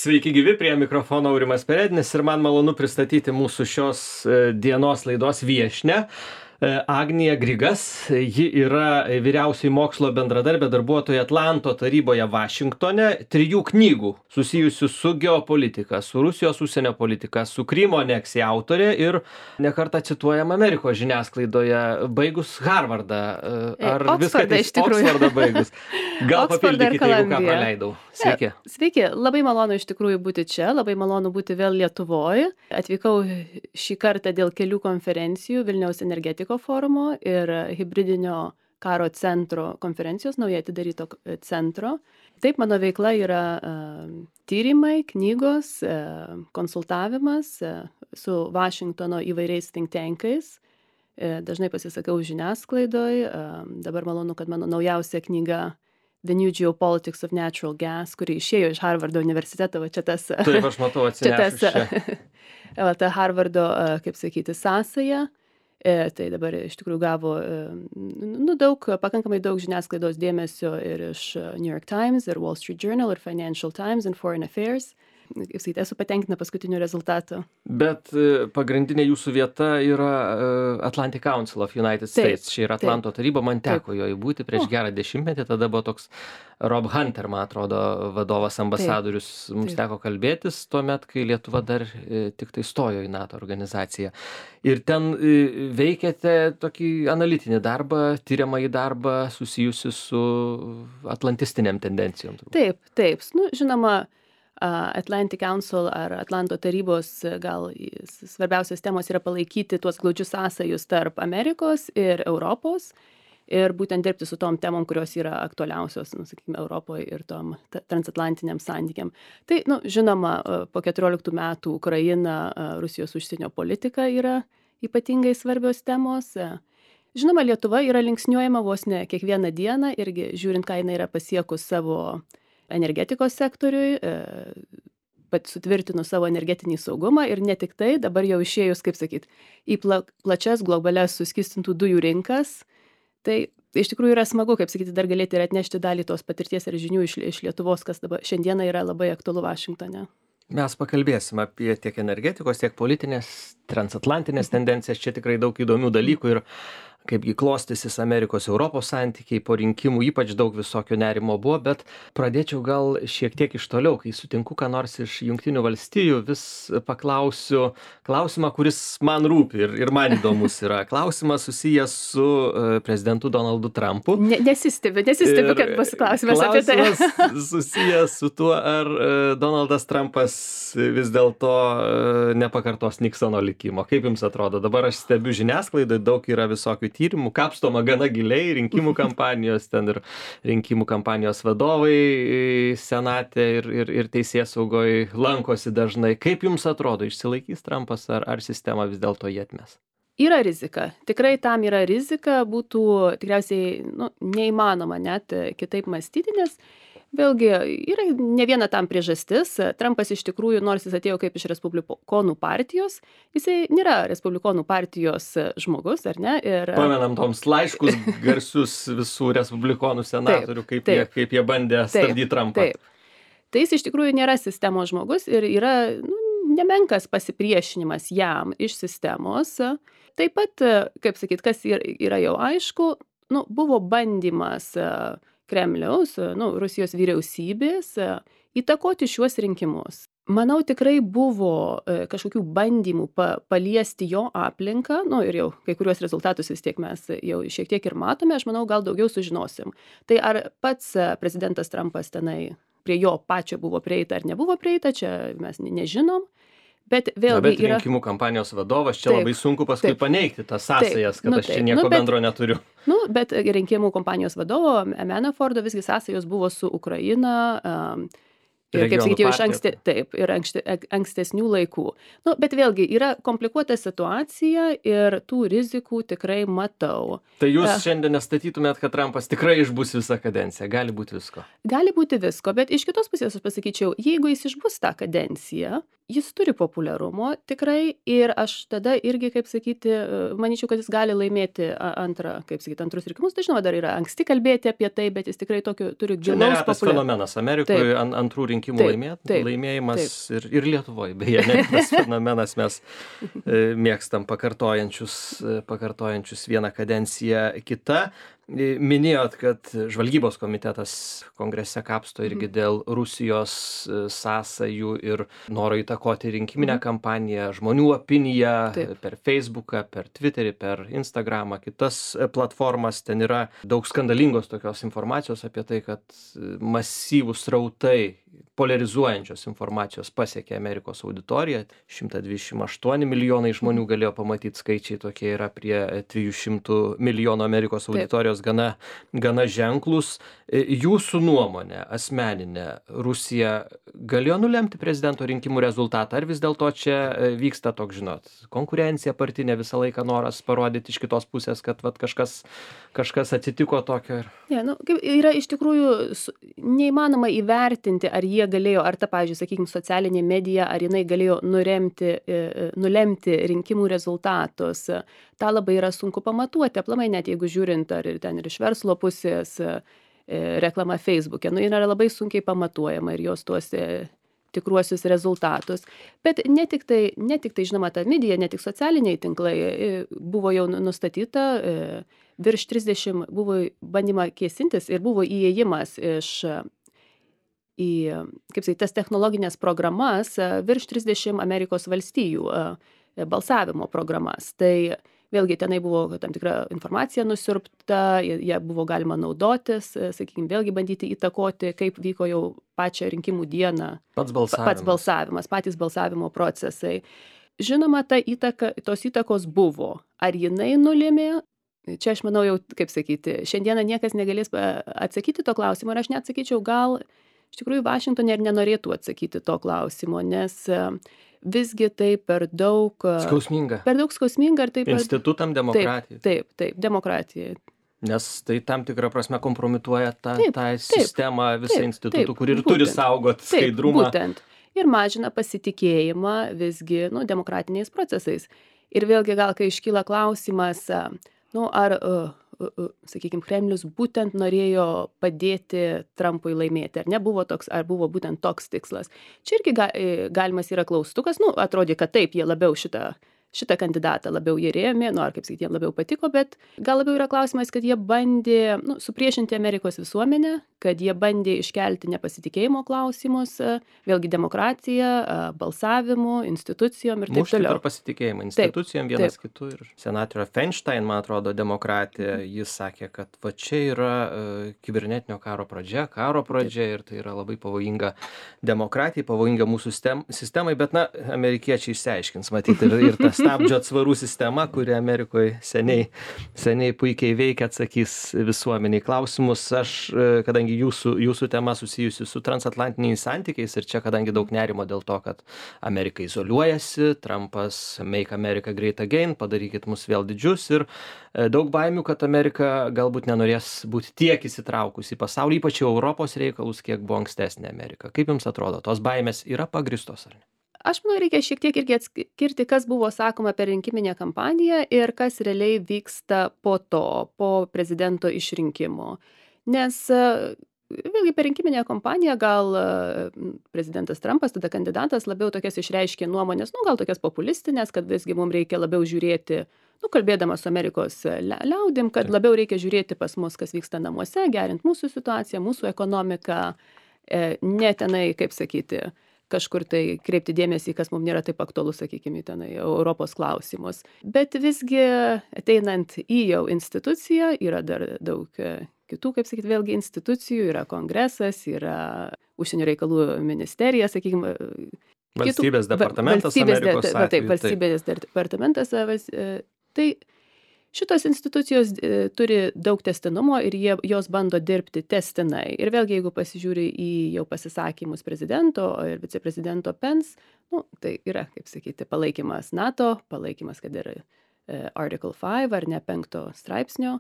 Sveiki gyvi, prie mikrofono Aurimas Perednis ir man malonu pristatyti mūsų šios dienos laidos viešnią. Agnija Grigas, ji yra vyriausioji mokslo bendradarbė darbuotoja Atlanto taryboje Vašingtone, 3 knygų susijusių su geopolitika, su Rusijos užsienio politika, su Krymo aneksija autorė ir nekartą cituojama Amerikos žiniasklaidoje, baigus Harvardą. Ar viską Oksfordą baigus? Gal papildykite, jeigu ką praleidau. Sveiki. Sveiki, labai malonu iš tikrųjų būti čia, labai malonu būti vėl Lietuvoje. Atvykau šį kartą dėl kelių konferencijų Vilniaus energetikos forumo ir hibridinio karo centro konferencijos, naujai atidaryto centro. Taip, mano veikla yra tyrimai, knygos, konsultavimas su Vašingtono įvairiais think tankais. Dažnai pasisakau žiniasklaidoj. Dabar malonu, kad mano naujausia knyga The New Geopolitics of Natural Gas, kuri išėjo iš Harvardo universiteto, va čia tas... Taip, aš matau atsinešus čia. Ta Harvardo, kaip sakyti, sąsaja. Tai dabar iš tikrųjų gavo pakankamai daug žiniasklaidos dėmesio ir iš New York Times, ir Wall Street Journal, ir Financial Times, ir Foreign Affairs. Esu patenkinta paskutiniu rezultatu. Bet pagrindinė jūsų vieta yra Atlantic Council of United States. Čia yra Atlanto taryba, man teko joje būti prieš gerą dešimtmetį. Tada buvo toks Rob Hunter, man atrodo, vadovas ambasadorius. Mums teko kalbėtis tuomet, kai Lietuva dar tik tai stojo į NATO organizaciją. Ir ten veikėte tokį analitinį darbą, tyriamąjį darbą susijusi su atlantistiniam tendencijom. Taip. Žinoma, Atlantic Council ar Atlanto tarybos gal svarbiausios temos yra palaikyti tuos glaudžius sąsajus tarp Amerikos ir Europos ir būtent dirbti su tom temom, kurios yra aktualiausios, sakykime, Europoje ir tom transatlantiniam santykiam. Tai, žinoma, po 14 metų Ukraina, Rusijos užsienio politika yra ypatingai svarbios temos. Žinoma, Lietuva yra linksniuojama vos ne kiekvieną dieną irgi žiūrint, ką jinai yra pasiekus savo energetikos sektoriui, sutvirtinu savo energetinį saugumą ir ne tik tai, dabar jau išėjus, kaip sakyt, į plačias globalias suskystintų dujų rinkas. Tai iš tikrųjų yra smagu, kaip sakyti, dar galėti ir atnešti dalį tos patirties ir žinių iš Lietuvos, kas dabar šiandieną yra labai aktualu Vašingtone. Mes pakalbėsim apie tiek energetikos, tiek politinės, transatlantinės tendencijas. Čia tikrai daug įdomių dalykų ir kaipgi klostysis Amerikos Europos santykiai po rinkimų, ypač daug visokio nerimo buvo, bet pradėčiau gal šiek tiek iš toliau, kai sutinku ką nors iš Jungtinių valstijų, vis paklausiu klausimą, kuris man rūpi ir man įdomus yra. Klausimas susijęs su prezidentu Donaldu Trumpu. Nesistebiu, kad bus klausimas apie tai. Klausimas susijęs su tuo, ar Donaldas Trumpas vis dėlto nepakartos Niksono likimo. Kaip jums atrodo? Dabar aš stebiu žiniasklaidą, daug yra visokių tyrimų, kapstoma gana giliai, rinkimų kampanijos, ten ir rinkimų kampanijos vadovai senate ir teisėsaugoje lankosi dažnai. Kaip jums atrodo, išsilaikys Trumpas ar sistema vis dėlto jį atmes? Yra rizika. Tikrai tam yra rizika, būtų tikriausiai neįmanoma net kitaip mąstyti, nes vėlgi yra ne viena tam priežastis. Trumpas iš tikrųjų, nors jis atėjo kaip iš Respublikonų partijos, jisai nėra Respublikonų partijos žmogus, ar ne? Pamenam toms laiškus garsius visų Respublikonų senatorių, kaip jie bandė stabdyti Trumpą. Taip. Tai jis iš tikrųjų nėra sistemos žmogus ir yra nemenkas pasipriešinimas jam iš sistemos. Taip pat, kaip sakyt, kas yra jau aišku, buvo bandymas Kremliaus, Rusijos vyriausybės įtakoti šiuos rinkimus. Manau, tikrai buvo kažkokių bandymų paliesti jo aplinką, ir jau kai kuriuos rezultatus vis tiek mes jau šiek tiek ir matome, aš manau, gal daugiau sužinosim. Tai ar pats prezidentas Trumpas tenai prie jo pačio buvo prieita ar nebuvo prieita, čia mes nežinom. Bet vėlgi yra... rinkimų kampanijos vadovas, čia labai sunku paskui paneigti tas sąsajas, kad aš čia nieko bendro neturiu. Bet rinkimų kampanijos vadovo Manaforto visgi sąsajos buvo su Ukraina, ir, kaip sakyti, jau iš ankstesnių laikų. Bet vėlgi yra komplikuota situacija ir tų rizikų tikrai matau. Tai jūs šiandien nestatytumėt, kad Trumpas tikrai išbus visą kadenciją? Gali būti visko? Gali būti visko, bet iš kitos pusės aš pasakyčiau, jeigu jis išbus tą kadenciją, jis turi populiarumo tikrai ir aš tada irgi, kaip sakyti, manyčiau, kad jis gali laimėti antrus rinkimus. Tai žinoma, dar yra anksti kalbėti apie tai, bet jis tikrai tokio turi Čia gilaus neretas fenomenas Amerikoje, antrų rinkimų laimėjimas ir Lietuvoje, beje, neretas fenomenas, mes mėgstam pakartojančius vieną kadenciją kitą. Minėjot, kad žvalgybos komitetas kongrese kapsto irgi dėl Rusijos sąsajų ir noro įtakoti rinkiminę kampaniją, žmonių opiniją per Facebooką, per Twitterį, per Instagramą, kitas platformas. Ten yra daug skandalingos tokios informacijos apie tai, kad masyvūs srautai polarizuojančios informacijos pasiekė Amerikos auditoriją. 128 milijonai žmonių galėjo pamatyti, skaičiai tokie yra prie 300 milijonų Amerikos auditorijos gana ženklus. Jūsų nuomonė asmeninė, Rusija galėjo nulemti prezidento rinkimų rezultatą, ar vis dėlto čia vyksta toks, žinot, konkurencija partinė, visą laiką noras parodyti iš kitos pusės, kad vat, kažkas atsitiko tokio? Yra iš tikrųjų neįmanoma įvertinti, ar jie galėjo, ar ta, pavyzdžiui, sakykime, socialinė medija, ar jinai galėjo nulemti rinkimų rezultatus. Ta labai yra sunku pamatuoti, aplamai net jeigu žiūrint, ar ir ten ir iš verslo pusės reklama Facebook'e, yra labai sunkiai pamatuojama ir jos tuos tikruosius rezultatus. Bet ne tik tai, žinoma, ta medija, ne tik socialiniai tinklai, buvo jau nustatyta, virš 30 buvo bandyma kėsintis ir buvo įėjimas į, kaip sakyt, tas technologinės programas, virš 30 Amerikos valstijų balsavimo programas. Tai vėlgi tenai buvo tam tikra informacija nusiurbta, ją buvo galima naudotis, sakykime, vėlgi bandyti įtakoti, kaip vyko jau pačią rinkimų dieną. Pats balsavimas, patys balsavimo procesai. Žinoma, tos įtakos buvo. Ar jinai nulėmė? Čia aš manau jau, kaip sakyti, šiandieną niekas negalės atsakyti to klausimo ir aš net sakyčiau, gal iš tikrųjų Vašingtonė ir nenorėtų atsakyti to klausimo, nes visgi tai per daug skausminga. Ir taip institutam demokratijai. Taip, demokratijai. Nes tai tam tikrą prasme kompromituoja tą sistemą, visą institutų, kur ir turi saugoti skaidrumą. Būtent. Ir mažina pasitikėjimą visgi demokratiniais procesais. Ir vėlgi gal, kai iškyla klausimas, ar sakykime, Kremlius būtent norėjo padėti Trumpui laimėti, ar buvo būtent toks tikslas. Čia irgi galimas yra klaustukas, atrodė, kad taip, jie labiau šitą kandidatą labiau jie rėmė, ar kaip sakyti, jiem labiau patiko, bet gal labiau yra klausimas, kad jie bandė supriešinti Amerikos visuomenę, kad jie bandė iškelti nepasitikėjimo klausimus, vėlgi demokratiją, balsavimu, institucijom ir taip Mušti toliau. per pasitikėjimą institucijom vienas kitų. Ir senatorė Feinstein, man atrodo, demokratė, jis sakė, kad va čia yra kibernetinio karo pradžia ir tai yra labai pavojinga demokratijai, pavojinga mūsų sistemai, bet amerikiečiai išsiaiškins, matyti, ir tas stabdžio atsvarų sistema, kuri Amerikoje seniai puikiai veikia, atsakys visuomeniai klausimus. Aš, kadangi jūsų tema susijusi su transatlantiniais santykiais ir čia, kadangi daug nerimo dėl to, kad Amerika izoliuojasi, Trumpas Make America Great Again, padarykit mus vėl didžius ir daug baimių, kad Amerika galbūt nenorės būti tiek įsitraukusi į pasaulį, ypač Europos reikalus, kiek buvo ankstesnė Amerika. Kaip jums atrodo, tos baimės yra pagrįstos ar ne? Aš manau, reikia šiek tiek irgi atskirti, kas buvo sakoma per rinkiminę kampaniją ir kas realiai vyksta po prezidento išrinkimo. Nes vėlgi per rinkiminę kampaniją gal prezidentas Trumpas, tada kandidatas, labiau tokias išreiškė nuomonės, gal tokias populistinės, kad visgi mums reikia labiau žiūrėti, kalbėdamas su Amerikos liaudim, kad labiau reikia žiūrėti pas mus, kas vyksta namuose, gerint mūsų situaciją, mūsų ekonomiką, ne tenai, kaip sakyti, kažkur tai kreipti dėmesį, kas mums nėra taip aktualu, sakykime, tenai Europos klausimus. Bet visgi ateinant į jau instituciją, yra dar daug kitų, kaip sakyti, vėlgi institucijų, yra kongresas, yra užsienio reikalų ministerija, sakykime, valstybės departamentas Amerikos atveju. Taip, valstybės departamentas. Tai šitos institucijos turi daug tęstinumo ir jos bando dirbti tęstinai. Ir vėlgi, jeigu pasižiūri į jau pasisakymus prezidento ir viceprezidento Pence, tai yra, kaip sakyti, palaikymas NATO, palaikymas, kad yra Article 5 ar ne 5 straipsnio,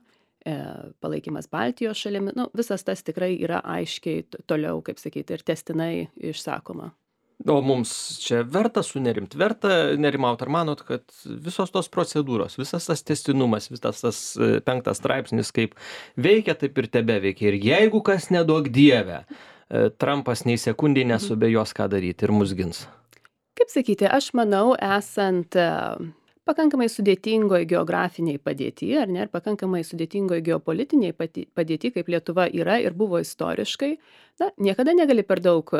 palaikymas Baltijos šalimi. Visas tas tikrai yra aiškiai toliau, kaip sakyti, ir tęstinai išsakoma. O mums čia verta sunerimt, verta nerimaut, ar manot, kad visos tos procedūros, visas tas tęstinumas, visas tas 5 straipsnis, kaip veikia, taip ir tebeveikia. Ir jeigu kas neduok dieve, Trumpas nei sekundį nesubejos, ką daryti ir mus gins. Kaip sakyti, aš manau, esant pakankamai sudėtingoje geografiniai padėti, ar ne, ir pakankamai sudėtingoje geopolitiniai padėti, kaip Lietuva yra ir buvo istoriškai, na, niekada negali per daug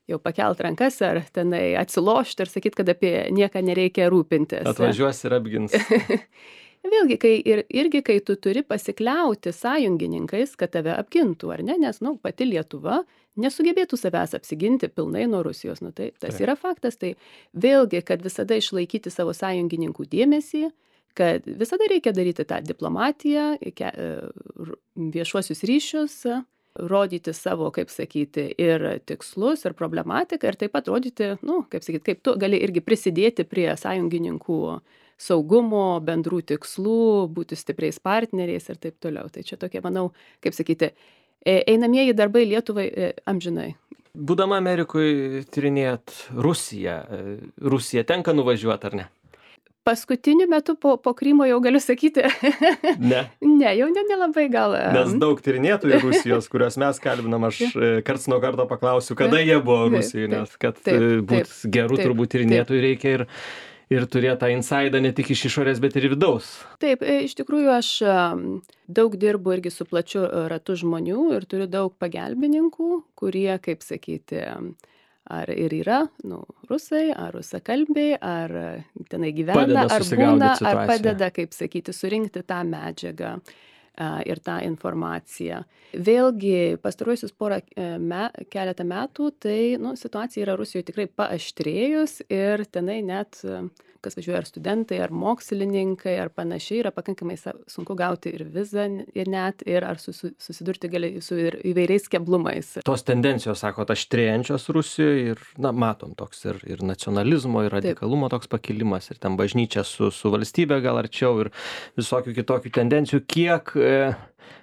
jau pakelt rankas ar tenai atsilošti ir sakyti, kad apie nieką nereikia rūpintis. Atvažiuos ir apgins. Vėlgi, kai tu turi pasikliauti sąjungininkais, kad tave apgintų, ar ne, nes, pati Lietuva nesugebėtų savęs apsiginti pilnai nuo Rusijos, tai tas yra faktas, tai vėlgi, kad visada išlaikyti savo sąjungininkų dėmesį, kad visada reikia daryti tą diplomatiją, viešuosius ryšius, rodyti savo, kaip sakyti, ir tikslus, ir problematiką, ir taip pat rodyti, kaip sakyti, kaip tu gali irgi prisidėti prie sąjungininkų saugumo, bendrų tikslų, būti stipriais partneriais ir taip toliau. Tai čia tokie, manau, kaip sakyti, einamieji darbai Lietuvai amžinai. Būdama Amerikoje tyrinėjat Rusiją. Rusija tenka nuvažiuoti, ar ne? Paskutiniu metu po Krymo jau galiu sakyti. Ne. Ne, jau nelabai gal. Nes daug tyrinėtojų Rusijos, kuriuos mes kalbinam, aš karts nuo karto paklausiu, kada jie buvo Rusijoje, nes kad būt gerų turbūt tyrinėtojų reikia ir turėti tą insaidą ne tik iš išorės, bet ir vidaus. Taip, iš tikrųjų aš daug dirbu irgi su plačiu ratu žmonių ir turiu daug pagelbininkų, kurie, kaip sakyti, ar ir yra, rusai, ar rusakalbiai, ar tenai gyvena, ar būna, ar padeda, kaip sakyti, surinkti tą medžiagą ir tą informaciją. Vėlgi, pastaruosius keletą metų, tai situacija yra Rusijoje tikrai paaštrėjus ir tenai net, kas važiuoja, ar studentai, ar mokslininkai, ar panašiai, yra pakankamai sunku gauti ir vizą, ir ar susidurti gali su įvairiais keblumais. Tos tendencijos, sakot, aštrėjančios Rusijoje ir, matom toks ir nacionalizmo, ir radikalumo toks pakilimas, ir ten bažnyčia su valstybė gal arčiau, ir visokių kitokių tendencijų. Kiek,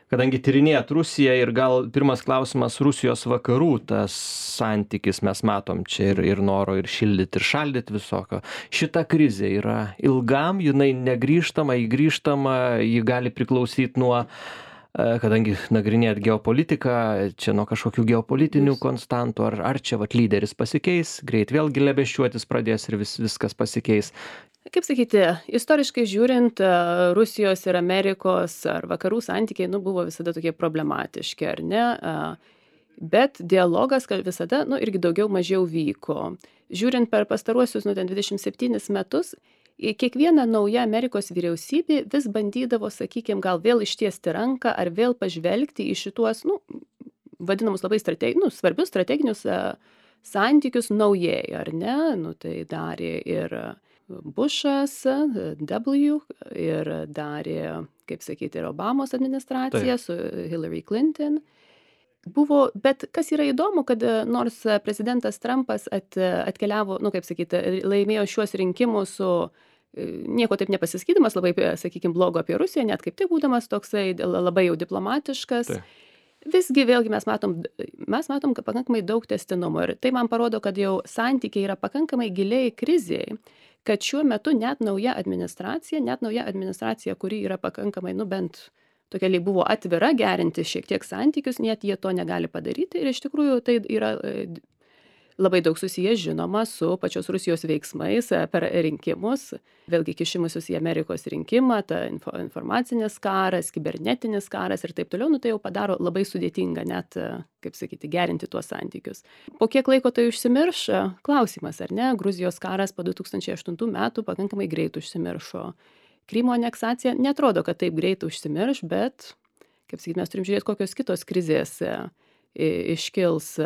kadangi tyrinėjat Rusiją ir gal pirmas klausimas Rusijos vakarų, tas santykis mes matom čia ir noro ir šildyti, ir šaldyti visokio. Šita krizė yra ilgam, jinai negrįžtama, ji gali priklausyti nuo, kadangi nagrinėjat geopolitiką, čia nuo kažkokių geopolitinių konstantų, ar čia lyderis pasikeis, greit vėl glebesčiuotis pradės ir viskas pasikeis. Kaip sakyti, istoriškai žiūrint, Rusijos ir Amerikos ar vakarų santykiai buvo visada tokie problematiški, ar ne? Bet dialogas visada irgi daugiau mažiau vyko. Žiūrint per pastaruosius 27 metus, kiekviena nauja Amerikos vyriausybė vis bandydavo, sakykime, gal vėl ištiesti ranką ar vėl pažvelgti į šituos, vadinamus labai svarbius strateginius santykius naujai, ar ne? Tai darė ir Bushas, W, ir darė, kaip sakyti, ir Obamos administracija su Hillary Clinton. Bet kas yra įdomu, kad nors prezidentas Trumpas atkeliavo, kaip sakyti, laimėjo šiuos rinkimus su nieko taip nepasisakydamas, labai, sakykime, blogo apie Rusiją, net kaip tai būdamas toksai labai jau diplomatiškas. Visgi vėlgi mes matom pakankamai daug tęstinumo ir tai man parodo, kad jau santykiai yra pakankamai giliai krizėje, kad šiuo metu net nauja administracija, kuri yra pakankamai, bent tokia buvo atvira gerinti šiek tiek santykius, net jie to negali padaryti ir iš tikrųjų tai yra labai daug susiję, žinoma, su pačios Rusijos veiksmais per rinkimus, vėlgi kišimusius į Amerikos rinkimą, ta informacinis karas, kibernetinis karas ir taip toliau, tai jau padaro labai sudėtinga net, kaip sakyti, gerinti tuos santykius. Po kiek laiko tai užsimirš? Klausimas, ar ne? Gruzijos karas po 2008 metų pakankamai greit užsimiršo. Krymo aneksacija netrodo, kad taip greit užsimirš, bet, kaip sakyti, mes turim žiūrėti, kokios kitos krizės iškils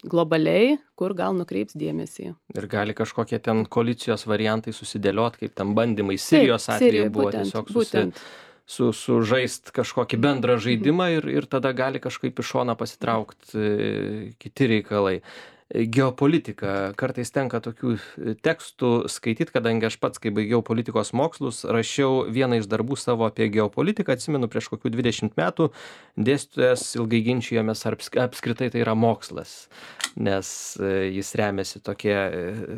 globaliai, kur gal nukreips dėmesį. Ir gali kažkokie ten koalicijos variantai susidėliot, kaip ten bandymai Sirijos atveju buvo tiesiog sužaist kažkokį bendrą žaidimą ir tada gali kažkaip iš šono pasitraukti kiti reikalai. geopolitika. Kartais tenka tokių tekstų skaityt, kadangi aš pats, kai baigiau politikos mokslus, rašiau vieną iš darbų savo apie geopolitiką, atsimenu, prieš kokių 20 metų dėstytojas ilgai ginčijomės, ar apskritai tai yra mokslas, nes jis remiasi tokie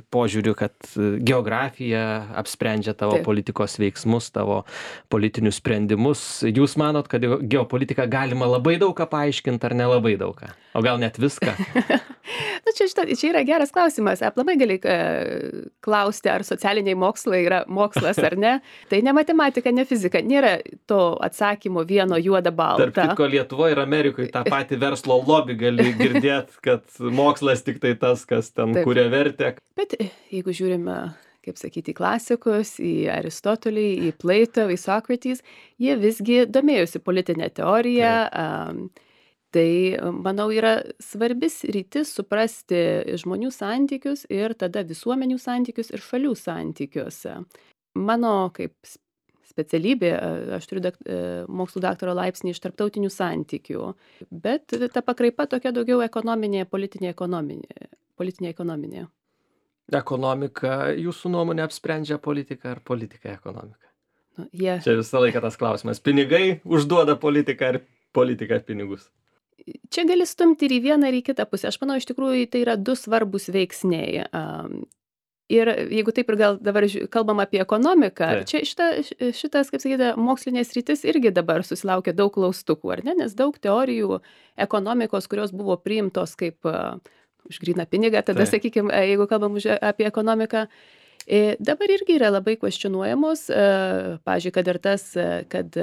požiūriu, kad geografija apsprendžia tavo politikos veiksmus, tavo politinius sprendimus. Jūs manot, kad geopolitiką galima labai daug ką paaiškinti ar nelabai daug ką? O gal net viską? Na, čia yra geras klausimas. Aplamai gali klausti, ar socialiniai mokslai yra mokslas ar ne. Tai ne matematika, ne fizika. Nėra to atsakymo vieno juoda balta. Tarp kitko, Lietuvoje ir Amerikoje tą patį verslo lobby gali girdėti, kad mokslas tik tai tas, kas ten kuria vertę. Bet jeigu žiūrime, kaip sakyti, į klasikus, į Aristotelį, į Plato, į Socrates, jie visgi domėjosi politinę teoriją. Tai, manau, yra svarbis rytis suprasti žmonių santykius ir tada visuomenių santykius ir šalių santykius. Mano kaip specialybė, aš turiu mokslų daktaro laipsnį iš tarptautinių santykių, bet ta pakraipa tokia daugiau ekonominė, politinė ekonominė. Ekonomika, jūsų nuomonė, apsprendžia politiką ar politika ekonomiką? Čia visą laiką tas klausimas. Pinigai užduoda politiką ar politika pinigus? Čia gali stumti ir į vieną, ir į kitą pusę. Aš manau, iš tikrųjų, tai yra du svarbus veiksniai. Ir jeigu taip ir gal dabar kalbam apie ekonomiką, čia šitas, kaip sakyti, mokslinės rytis irgi dabar susilaukia daug klaustukų, ar ne? Nes daug teorijų ekonomikos, kurios buvo priimtos kaip už gryną pinigą, tada, sakykime, jeigu kalbam apie ekonomiką, dabar irgi yra labai kvestionuojamos. Pavyzdžiui, kad ir tas, kad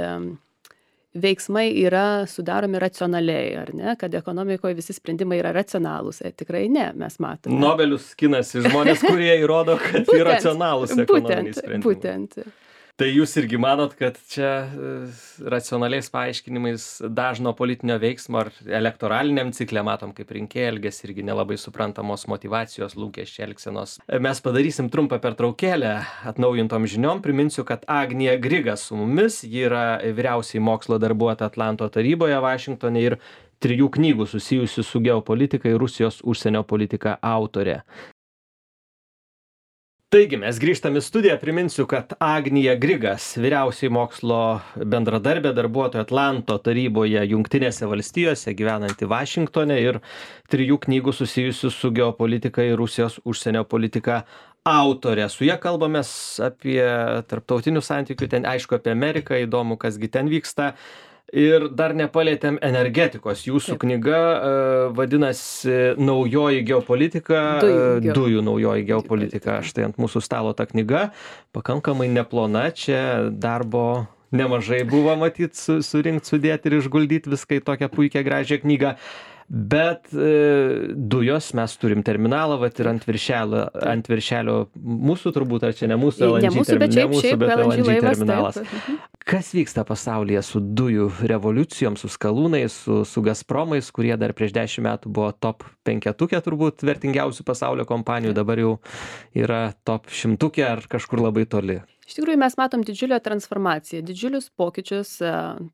veiksmai yra sudaromi racionaliai, ar ne, kad ekonomikoje visi sprendimai yra racionalūs. Tikrai ne, mes matome. Nobelius skinasi žmonės, kurie įrodo, kad iracionalūs ekonominiai sprendimai. Būtent. Tai jūs irgi manot, kad čia racionaliais paaiškinimais dažno politinio veiksmo ar elektoraliniam cikle matom, kaip rinkėjai elgiasi, irgi nelabai suprantamos motyvacijos, lūkesčiai, elgsenos. Mes padarysim trumpą pertraukėlę atnaujintom žiniom. Priminsiu, kad Agnija Griga su mumis, ji yra vyriausiai mokslo darbuotoja Atlanto taryboje Vašingtone ir 3 knygų susijusių su geopolitika ir Rusijos užsienio politika autorė. Taigi, mes grįžtam į studiją. Priminsiu, kad Agnija Grigas, vyriausiai mokslo bendradarbė, darbuotoja Atlanto taryboje Jungtinėse valstijose, gyvenanti Vašingtone ir 3 knygų susijusių su geopolitika ir Rusijos užsienio politika autorė. Su ja kalbamės apie tarptautinių santykių, ten aišku apie Ameriką, įdomu, kasgi ten vyksta. Ir dar nepalietėm energetikos. Jūsų knyga vadinasi Naujoji geopolitika, dujų naujoji geopolitika. Štai ant mūsų stalo ta knyga, pakankamai neplona, čia darbo nemažai buvo matyt surinkti, sudėti ir išguldyti viską į tokią puikią gražią knygą. Bet dujos, mes turim terminalą, vat ir ant viršelio mūsų turbūt, ar čia ne mūsų LNG terminalas. Kas vyksta pasaulyje su dujų revoliucijom, su skalūnais, su Gazpromais, kurie dar prieš 10 metų buvo top 5 turbūt vertingiausių pasaulio kompanijų, dabar jau yra top 100 ar kažkur labai toli? Iš tikrųjų, mes matom didžiulę transformaciją, didžiulius pokyčius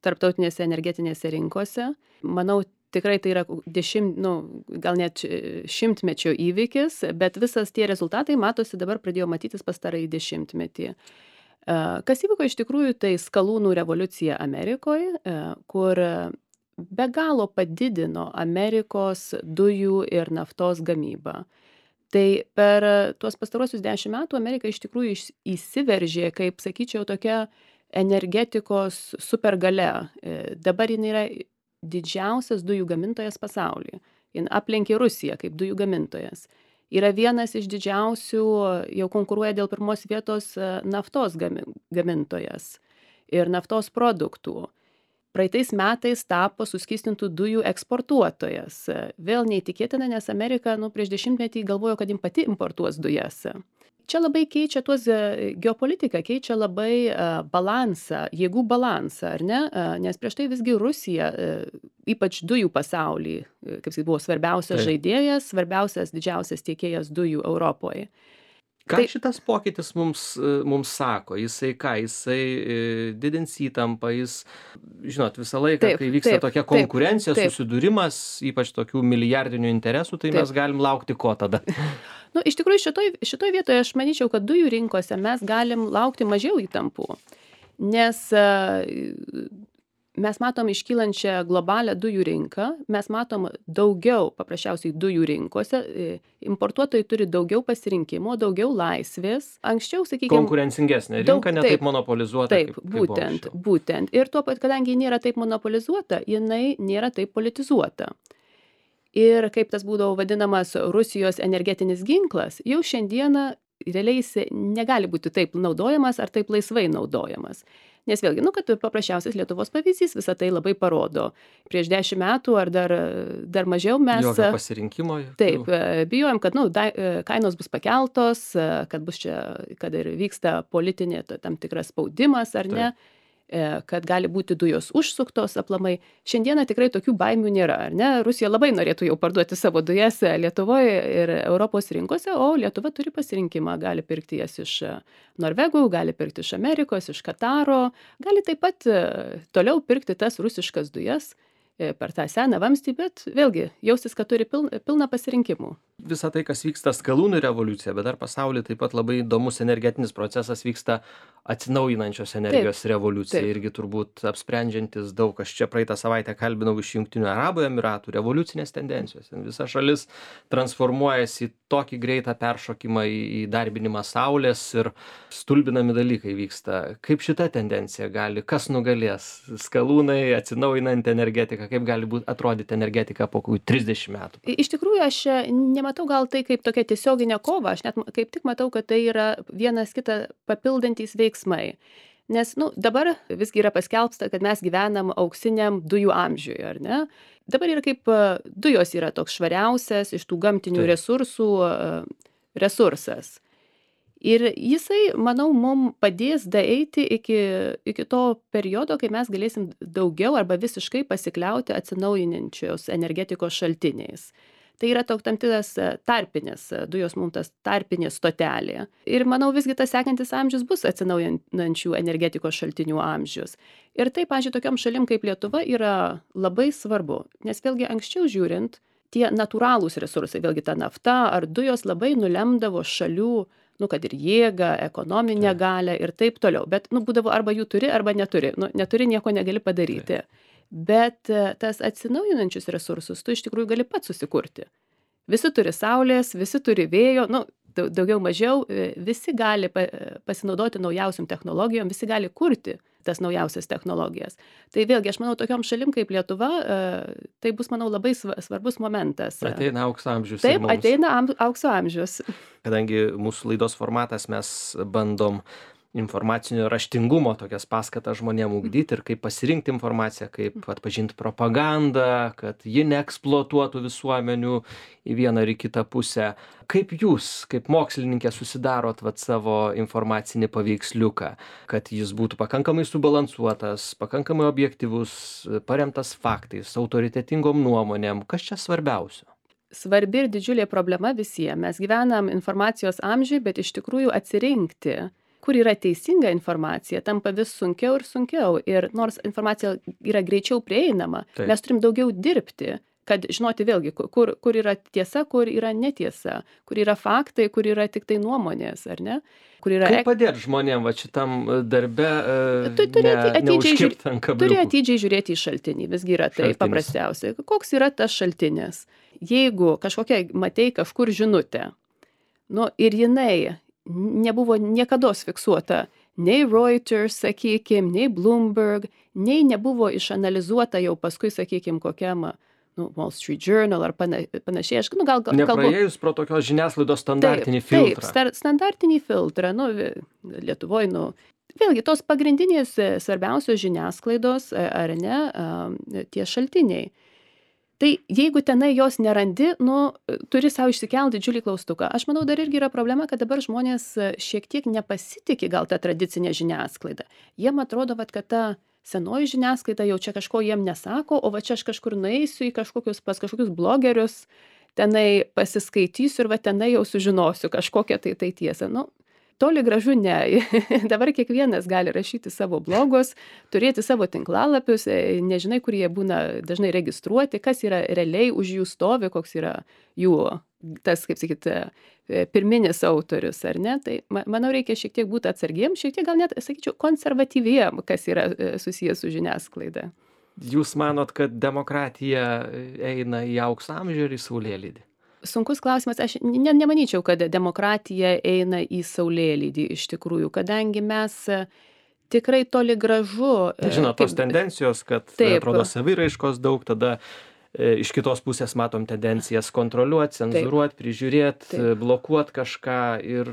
tarptautinėse energetinėse rinkose. Manau, tikrai tai yra gal net 100-mečio įvykis, bet visas tie rezultatai matosi dabar pradėjo matytis pastarąjį 10-metį. Kas įvyko iš tikrųjų, tai skalūnų revoliucija Amerikoje, kur be galo padidino Amerikos dujų ir naftos gamybą. Tai per tuos pastaruosius 10 metų Amerika iš tikrųjų įsiveržė, kaip sakyčiau, tokia energetikos supergalia. Dabar jin yra didžiausias dujų gamintojas pasaulyje. Jin aplenkė Rusiją kaip dujų gamintojas. Yra vienas iš didžiausių, jau konkuruoja dėl pirmos vietos naftos gamintojas ir naftos produktų. Praeitais metais tapo suskystintų dujų eksportuotojas. Vėl neįtikėtina, nes Amerika prieš 10-metį galvojo, kad jin pati importuos dujas. Čia labai keičia tuos geopolitiką, keičia labai balansą, jėgų balansą, ar ne? Nes prieš tai visgi Rusija, ypač dujų pasaulį, kaip sakyt, buvo svarbiausias žaidėjas, svarbiausias, didžiausias tiekėjas dujų Europoje. Ką Tai šitas pokytis mums sako? Jisai ką? Jisai didins įtampą, žinot, visą laiką, taip, kai vyksta taip, tokia taip, konkurencija, taip, susidūrimas, ypač tokių milijardinių interesų, tai mes taip. galim laukti ko tada? Nu, iš tikrųjų, šitoj vietoje aš manyčiau, kad dujų rinkose mes galim laukti mažiau įtampų, nes mes matom iškylančią globalią dujų rinką, mes matom daugiau paprasčiausiai dujų rinkose, importuotojai turi daugiau pasirinkimo, daugiau laisvės. Anksčiau, sakykime, Konkurencingesnė rinka, ne taip monopolizuota, taip, kaip buvo būtent, anksčiau. būtent. Ir tuo pat, kadangi ji nėra taip monopolizuota, jinai nėra taip politizuota. Ir kaip tas būdavo vadinamas Rusijos energetinis ginklas, jau šiandieną realiai jis negali būti taip naudojamas ar taip laisvai naudojamas. Nes vėlgi, kad paprasčiausias Lietuvos pavyzdys visą tai labai parodo. Prieš 10 metų ar dar mažiau mes... Jokio pasirinkimo. Taip, bijojom, kad kainos bus pakeltos, kad bus čia, kad ir vyksta politinė tam tikras spaudimas ar ne, kad gali būti dujos užsuktos aplamai. Šiandieną tikrai tokių baimių nėra, ar ne? Rusija labai norėtų jau parduoti savo dujas Lietuvoje ir Europos rinkose, o Lietuva turi pasirinkimą, gali pirkti jas iš Norvegų, gali pirkti iš Amerikos, iš Kataro, gali taip pat toliau pirkti tas rusiškas dujas per tą seną vamzdį, bet vėlgi jaustis, kad turi pilną pasirinkimų. Visa tai, kas vyksta skalūnų revoliucija, bet dar pasaulyje taip pat labai įdomus energetinis procesas vyksta atsinaujinančios energijos revoliucija. Taip. Irgi turbūt apsprendžiantis daug. Aš čia praeitą savaitę kalbinau iš Jungtinių Arabų Emiratų revoliucinės tendencijos. Visa šalis transformuojasi į tokį greitą peršokimą į darbinimą saulės ir stulbinami dalykai vyksta. Kaip šita tendencija gali, kas nugalės? Skalūnai, atsinaujinanti energetika, kaip gali atrodyti energetika po 30 metų? Iš tikrųjų, aš nematau gal tai kaip tokia tiesioginė kova, aš net kaip tik matau, kad tai yra vienas kitą papildantys veiksmai. Nes dabar visgi yra paskelbsta, kad mes gyvenam auksiniam dujų amžiuje, ar ne? Dabar yra kaip dujos yra toks švariausias iš tų gamtinių resursų resursas. Ir jisai, manau, mums padės daeiti iki to periodo, kai mes galėsim daugiau arba visiškai pasikliauti atsinaujinančios energetikos šaltiniais. Tai yra tam tikras tarpinis, dujos mums tas tarpinė stotelė. Ir manau, visgi tas sekantis amžius bus atsinaujinančių energetikos šaltinių amžius. Ir tai, pavyzdžiui, tokiam šalim kaip Lietuva yra labai svarbu, nes vėlgi anksčiau žiūrint, tie natūralūs resursai, vėlgi ta nafta ar dujos labai nulemdavo šalių, kad ir jėgą, ekonominę galę ir taip toliau. Bet, būdavo arba jų turi, arba neturi. Neturi, nieko negali padaryti. Bet tas atsinaujinančius resursus tu iš tikrųjų gali pats susikurti. Visi turi saulės, visi turi vėjo, daugiau mažiau, visi gali pasinaudoti naujausiam technologijom, visi gali kurti tas naujausias technologijas. Tai vėlgi, aš manau, tokiom šalim kaip Lietuva, tai bus, manau, labai svarbus momentas. Ateina aukso amžius. Taip, ateina aukso amžius. Kadangi mūsų laidos formatas mes bandom informacinio raštingumo tokias paskatas žmonėm ugdyti ir kaip pasirinkti informaciją, kaip atpažinti propagandą, kad ji neeksploatuotų visuomenių į vieną ar į kitą pusę. Kaip jūs, kaip mokslininkė, susidarot savo informacinį paveiksliuką, kad jis būtų pakankamai subalansuotas, pakankamai objektyvus, paremtas faktais, autoritetingom nuomonėm? Kas čia svarbiausio? Svarbi ir didžiulė problema visiems. Mes gyvenam informacijos amžiui, bet iš tikrųjų atsirinkti, kur yra teisinga informacija, tampa vis sunkiau ir sunkiau. Ir nors informacija yra greičiau prieinama, mes turim daugiau dirbti, kad žinoti vėlgi, kur yra tiesa, kur yra netiesa, kur yra faktai, kur yra tik tai nuomonės, ar ne? Kaip padėti žmonėm šitam darbe neužkibti ant kabliukų? Turi atidžiai žiūrėti į šaltinį, visgi yra tai paprasčiausiai. Koks yra tas šaltinis? Jeigu matei kažkur žinutę, ir jinai nebuvo niekados fiksuota nei Reuters, sakykime, nei Bloomberg, nei nebuvo išanalizuota jau paskui, sakykime, kokiam Wall Street Journal ar panašiai. Gal nepraėjus pro tokios žiniasklaidos standartinį filtrą. Taip, standartinį filtrą. Lietuvoje, vėlgi, tos pagrindinės svarbiausios žiniasklaidos, ar ne, tie šaltiniai. Tai jeigu tenai jos nerandi, turi savo išsikelti didžiulį klaustuką. Aš manau, dar irgi yra problema, kad dabar žmonės šiek tiek nepasitikė gal tą tradicinę žiniasklaidą. Jiem atrodo, kad ta senoji žiniasklaida jau čia kažko jiem nesako, o čia aš kažkur nueisiu pas kažkokius blogerius, tenai pasiskaitysiu ir va tenai jau sužinosiu kažkokią tai tiesą. Nu, toli gražu ne. Dabar kiekvienas gali rašyti savo blogus, turėti savo tinklalapius, nežinai, kur jie būna dažnai registruoti, kas yra realiai už jų stovi, koks yra jų, tas, kaip sakyti, pirminis autorius, ar ne? Tai manau, reikia šiek tiek būti atsargiem, šiek tiek gal net, sakyčiau, konservatyviem, kas yra susijęs su žiniasklaida. Jūs manot, kad demokratija eina į aukso amžių ir į saulėlydį? Sunkus klausimas, aš nemanyčiau, kad demokratija eina į saulėlydį iš tikrųjų, kadangi mes tikrai toli gražu. Žinot, tos tendencijos, kad atrodo saviraiškos daug, tada iš kitos pusės matom tendencijas kontroliuoti, cenzuruoti, prižiūrėti, blokuoti kažką ir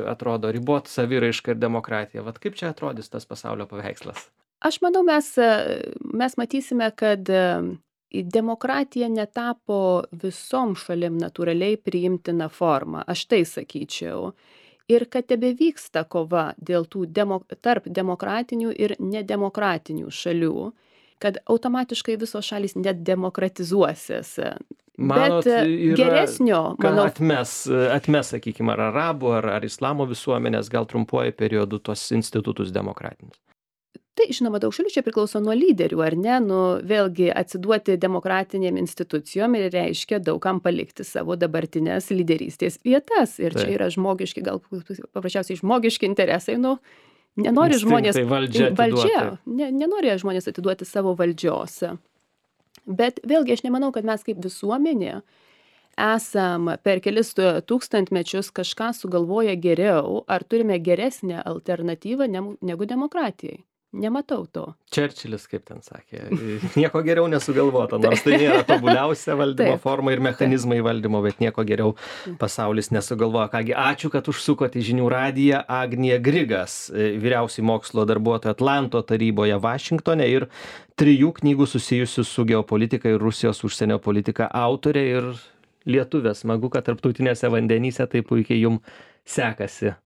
atrodo riboti saviraišką ir demokratiją. Vat kaip čia atrodys tas pasaulio paveikslas? Aš manau, mes matysime, kad demokratija netapo visom šalim natūraliai priimtina forma, aš tai sakyčiau. Ir kad tebevyksta kova dėl tų tarp demokratinių ir nedemokratinių šalių, kad automatiškai visos šalys nedemokratizuosis. Manot, bet geresnio, manau, atmes, sakykime, ar arabų, ar islamo visuomenės, gal trumpuoju periodu tos institutus demokratinius? Tai, žinoma, daug šalių čia priklauso nuo lyderių, ar ne? Nu, vėlgi atsiduoti demokratinėm institucijom ir reiškia daugam palikti savo dabartinės lyderystės vietas. Ir čia yra žmogiški, gal paprasčiausiai žmogiški interesai, nu, nenori žmonės nenori žmonės atiduoti savo valdžios. Bet vėlgi aš nemanau, kad mes kaip visuomenė esam per kelis tūkstantmečius kažką sugalvoję geriau, ar turime geresnę alternatyvą negu demokratijai. Nematau to. Čerčilis, kaip ten sakė, nieko geriau nesugalvota, nors tai nėra tobuliausia valdymo forma ir mechanizmai valdymo, bet nieko geriau pasaulis nesugalvoja. Kągi, ačiū, kad užsukote į Žinių radiją. Agnija Grigas, vyriausiai mokslo darbuotoja Atlanto taryboje Vašingtone ir 3 knygų susijusių su geopolitika ir Rusijos užsienio politika autorė ir lietuvė. Smagu, kad tarptautinėse vandenyse taip puikiai jums sekasi.